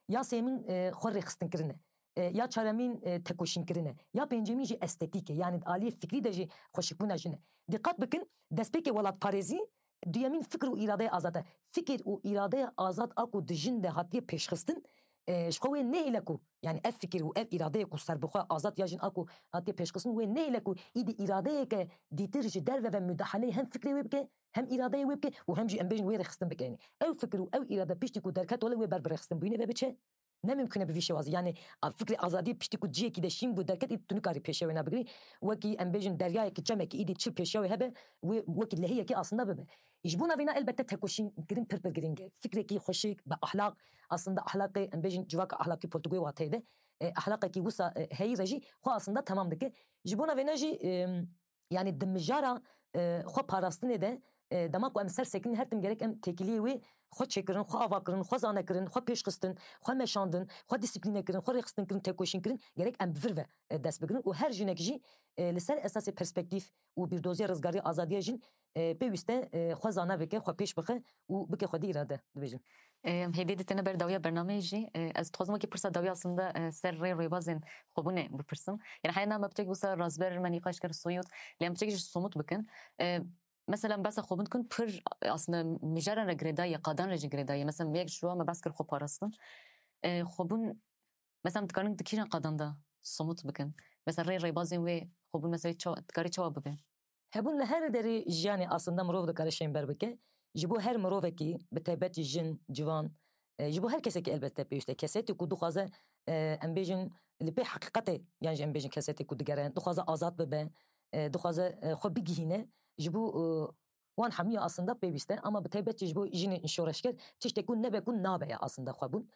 Ya sêmîn, e, xwe rêxistin kirine. E, ya çaremîn, e, tekoşîn kirine. Ya pêncemîn jî estetîk e. Yani aliyê fikrî de jî xweşikbûna jin e. Diqat bikin, destpêkê welatparêzî, duyemîn fikr û îradeyê azad e. Fikir û îradeya azad a ku di jin de hatiye pêşxistin, e, ji xwe wê nehêle ku, yani ev fikir û ev îradeyê ku serbixwe azad ya jin a ku hatiye pêşxistin wê nehêle ku îdî îradeyeke dîtir ji derve ve mudahaleyê hem fikrê wê bike, hem îradeyê wê bike û hem jî em bêjin wê rêxistin bike. Yani ew fikir û ew îrade piştî ku derket wele wê ber bi rêxistin bûyînê ve biçe. Ne mimkun e bi vî şêwazî. Yani a, fikrê azadiyê piştî ku ciyekî de şîn bû derket, î tu nikarî pêşiya wê nebigrî. Wekî em bêjin deryayekî, çemekî îdî çil pêşiya wê hebe, wê wekî lehiyekî aslında bibe. Ji bona vêna elbette tekoşîn kirin pir pir girîng e. Fikrekî xweşik, bi ahlak, aslında ahlakê, em bêjin civaka ahlakî polîtîk wê wateyê de, e, ahlakekî wisa, e, heyî re jî xwe aslında temam dike. Ji bona vêna jî, e, yani di mijara, e, xwe parastinê de, e, dema ku em ser sekinîn her tim gerek em têkiliyê wê xwe çêkirin, xwe ava kirin, xwe zane kirin, xwe pêşxistin, xwe meşandin, xwe disiplîne kirin, xwe rêxistin kirin, tekoşîn kirin, gerek em bi vir ve, e, dest bigirin û her jinek jî, e, li ser esasê perspektîf û bîrdoziya rizgariya azadiya jin, e, pêwîste, e, xwe zane bike, xwe pêş bixe û bike xwedî îrade, dibêjim. Em hêdî ditine ber dawiya bernameyê jî, e, ez dixwazim wekî pirsa dawî aslında, e, ser rê rêbazên xwebûnê bipirsim. Yani heya na me piçek wisa razber me nîqaş kir soyut, lê em piçek jî somut bikin. E, mesela em behsa xwebûn dikin pir aslında mijaran re girêdayî ye, qadan re jî girêdayî ye. Mesela yek ji wan me behs kir xwe parastin. E, xwebûn, mesela em dikarin di kîjan qadan de somut bikin? Mesela rê rêbazên wê xwebûn mesela çawa, dikarî çawa bibe? Hebûn li her derê jiyanê aslında mirov dikare şênber bike. Ji bo her mirovekî, bi taybet jî jin, ciwan, e, ji bo her kesekî elbette pêwîst e. Kesêtê ku dixwaze, e, em bêjin li pê heqîqetê, yan jî em bêjin kesêtê ku digere, dixwaze azad bibe, e, dixwaze, e, xwe bigihîne, ji bo, e, wan hemiya aslında pêwîst e. Ama bi taybet jî ji bo jinên şoreşger tiştek ku nebe ku nabe ye aslında xwebûn.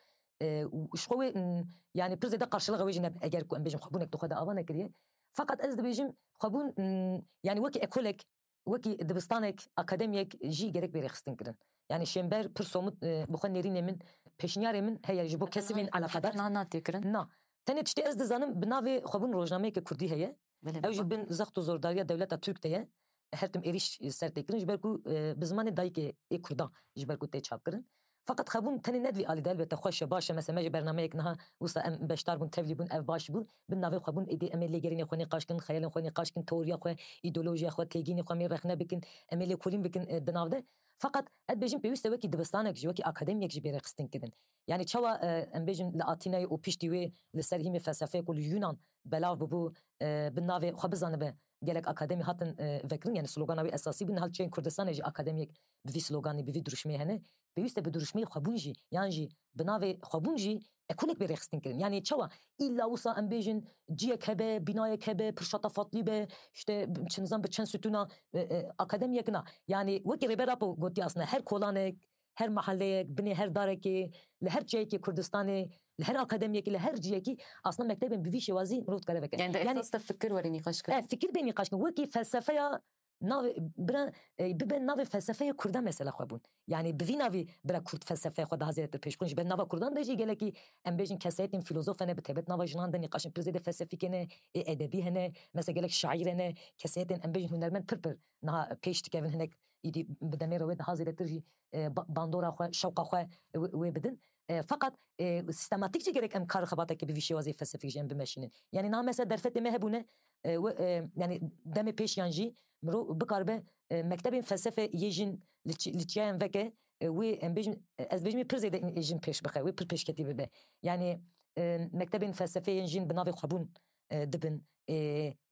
E, û ji xwe wê, m, yani pir zêde qarşiliqa wê jî nebe eger ku em bêjin xwebûnek di xwe de ava nekiriye. Feqet ez dibêjim xwebûn, m, yani wekî ekolek, wekî dibistanek, akademiyek jî gerek bê rêxistin kirin. Yani şênber pir somut, e, bi xwe nêrînê min, pêşniyarê min heye ji bo kesê min eleqedar. Na, na tê kirin. Na. Tenê tiştê ez dizanim bi navê xwebûn rojnameyeke kurdî heye. Belê, ew jî bin zext û zordariya dewleta Tirk de ye. Her tim êrîş ser tê kirin ji ber ku, e, bi zimanê dayikê ê kurdan ji ber ku tê çapkirin. Feqet xwebûn tenê ne di vî alî de, elbette xweş e, baş e, mesela me ji bernameyek niha wisa em beşdar bûn, tevlî bûn, ev baş bû. Bi navê xwebûn êdî em ê lêgerînê xwe nîqaş kin, xeyalên xwe nîqaş kin, teoriya xwe, îdeolojiya xwe, têgînê xwe em ê rexne bikin, em ê lêkolîn bikin, e, di nav de. Feqet ez dibêjim pêwîst e wekî dibistanek jî, wekî akademiyek jî bê rêxistin kirin. Yani çawa, e, em bêjin li Atînayê û piştî wê li ser hîmê felsefeyê ku li Yunan belav bûbû, e, bi navê xwe bizanibe gelek akademî hatin, e, vekirin, yani slogana wê esasî bû, niha li çiyên Kurdistanê jî akademiyek bi vî sloganî, bi vî dirûşmê hene. Pêwîst e bi dirûşmeyê xwebûn jî, yan jî bi navê xwebûn jî ekolek bê rêxistin kirin. Yani çawa? Îlla wisa em bêjin ciyek hebe, binayek hebe, pir şatafatlî be, işte çi nizam bi çend sütûna, e, e, akademiyek na. Yani wekî Rêber Apo gotiye aslında her kolanek, her meheleyek, binê her darekê, li her çiyekê Kurdistanê, li her akademiyekê, li her ciyekî aslında mektebên bi vî şêwazî mirov dikare veke. Yani de esas de fikir were nîqaş kirin. E, fikir bê nîqaş kirin. Wekî felsefeya navê, bira, e, bibe navê felsefeya Kurda mesela xwebûn. Yani bi vî navî bira Kurd felsefeya xwe daha zêdetir pêş bixin. Ji ber nava Kurdan de jî gelekî em bêjin kesayetên fîlozof hene, bi taybet nava jinan de nîqaşên pir zêde felsefîk hene, ê edebî hene, mesela gelek şaîr hene, kesayetên em bêjin hunermend pir pir niha pêş dikevin hinek îdî bi demê re wê daha zêdetir jî, e, ba-, bandora xwe, şewqa xwe wê, wê bidin. E, feqet, e, sîstematîk jî gerek em kar xebatekê bi vî şêwazê felsefîk jî em bimeşînin. Yani niha mesela derfetê me hebûne, e, we, e, yani demê pêş yan jî mirov bikaribe, e, mektebên felsefe yê jin li çi-, li çiyayan veke, e, wê em bêjin, e, ez bêjim wê pir zêde jin pêş bixe, wê pir pêşketî bibe. Yani, e, mektebên felsefeyên jin bi navê xwebûn, e, dibin. E,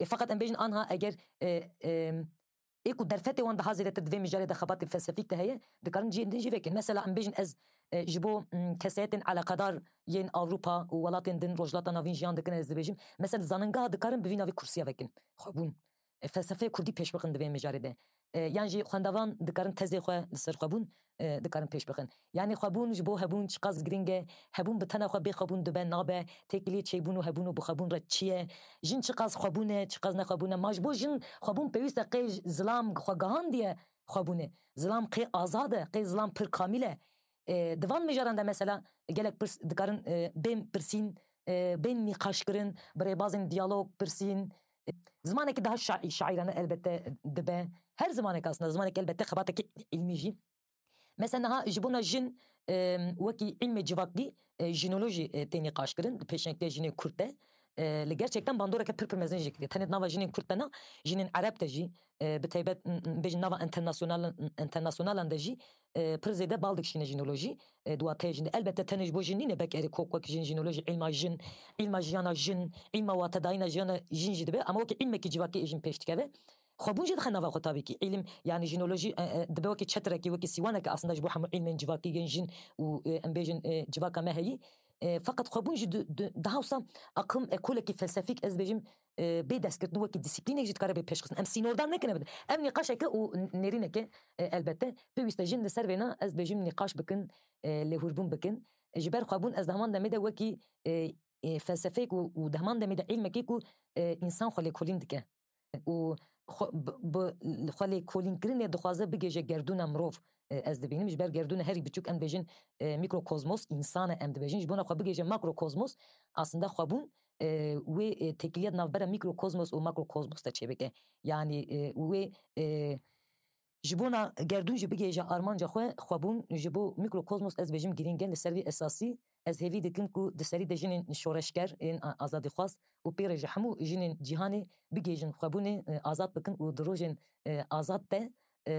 e, feqet em bêjin anha eger, e, e, ê ku derfetê wan daha zêdetir di vê mijarê de xebatê felsefîk de heye, dikarin cihên din jî vekin. Mesela em bêjin ez, e, ji bo, m, kesayetên eleqedar yên Ewropa û welatên din Rojhilata Navîn jiyan dikin, ez dibêjim. Mesela zaningeha dikarin bi vî navê kursiya vekin. Xwebûn. E, felsefeya kurdî pêş bixin di vê mijarê de. E, yan jî xwendevan dikarin tezê xwe li ser xwebûn, e, dikarin pêş bixin. Yani xwebûn ji bo hebûn çiqas girîng e, hebûn bi tena xwe bê xwebûn dibe nabe, têkiliyê çêbûn û hebûn û bixwebûn re çi ye? Jin çiqas xwebûn e, çiqas nexwebûn e? Ma ji bo jin xwebûn pêwîst e qey zilam xwe gihandiye, xwebûnê. Zilam qê azad e, qê zilam pir kamîl e. E, di van mijaran de mesela gelek pirs dikarin, e, bên pirsîn, e, bên nîqaşkirin, bi rêbazên diyalog, pirsîn. E, zimanekî daha şa-, şaîrane elbette dibe. Her zimanek aslında, zimanek elbette xebatekî îlmî jî. Mesela niha ji bona jin, e, wekî îlmê civakî, e, jinolojî, e, tê nîqaşkirin, di pêşengtiya jinên Kurd de. E, li gerçekten bandoreke pir pir mezin jî kiriye. Tenê di nava jinên Kurd de na, jinên Ereb de jî, e, bi taybet, m, m, bêjin nava enternasyonal-, enternasyonalan de jî, e, pir zêde bal dikişîne jinolojî, e, di wateyê jin de. Elbette tenê ji bo jin nîne, belkî erê kok wek jin jinolojî, îlma jin, îlma jiyana jin, îlma watedayîna jiyana jin jî dibe, ama wekî îlmekî civakî ê jin pêş dikeve. Xwebûn jî dixe nava xwe tabî kî. Îlim, yani jinolojî, e, e, dibe wekî çetirekî, wekî sîwaneke aslında ji bo hemû îlmên civakî yên jin û, e, em bêjin, e, civaka me heyî. E, feqet xwebûn jî di, di, daha wisa aqim ekolekî felsefîk, ez bêjim, e, bê destgirtin wekî disiplînek jî dikare bê pêşxistin. Em sînordan nekine bidin. Ev nîqaşeke û n-, nêrîneke, e, elbette. Pêwîste jin li ser vêna, ez bêjim, nîqaş bikin, e, lêhûrbûn bikin. Ji ber xwebûn ez di heman demê de wekî, e, e, felsefeyek û, û di heman demê de îlmekê ku, e, însan xwe lêkolîn dike. Û xwe, bi, bi xwe lêkolînkirinê dixwaze bigêje gerdûna mirov, e, ez dibînim. Ji ber gerdûna herî biçûk, em bêjin, e, mîkrokozmos, însan e em dibêjin. Ji bona xwe bigêje makrokozmos, aslında xwebûn, e, wê, e, têkiliya di navbera mîkrokozmos û makrokozmos de çêbike. Yani, e, wê, e, ji bona gerdûn jî bigihêje armanca xwe, xwebûn ji bo mîkrokozmos, ez bêjim, girîng e. Li ser vî esasî ez hêvî dikim ku di serî de jinên şoreşger, ên a-, azadîxwaz û pê re ji hemû jinên cîhanê bigihêjin xwebûnê, e, azad bikin û di rojên, e, azad de, e,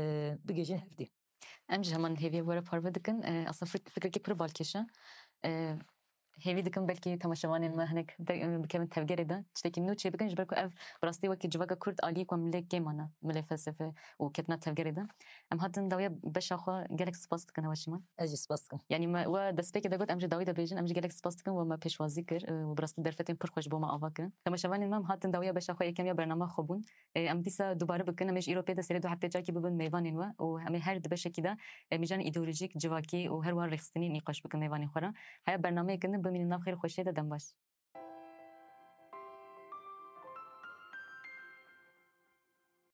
bigihêjin hevdî. Em jî heman hêviyê were parve dikin. E, aslında fik-, fikrekî pir balkêş e. E, hêvî dikim belkî temaşevanên me hinek de, e, bikevin tevgerê de. Tiştekî nû çêbikin, ji ber ku ev bi rastî wekî civaka Kurd aliyê ku em lê kêm mane, milê felsefe û ketina tevgerê de. Em hatin dawiya beşa xwe, gelek spas dikin hewa şima. Ez jî spas dikim. Yanî me we destpêkê de got, em ji dawî de bêjin, em jî gelek spas dikin, we me pêşwazî kir, e, û bi rastî derfetên pir xweş bo me ava kirin. Temaşevanên me, em hatin dawiya beşa xwe yekem ya bernama xwe bûn. E, em dîsa dubare bikin, em ê ji îro pê de serê du heftê carkî bibin mêvanên we û em ê her di beşekî de, e, mîjanên îdeolojîk, civakî û her wiha rêxistinî nîqaş bikin mêvanên xwe re. Heya bernameyeke din bimînin nav xêr û xweşiyê de, dem baş.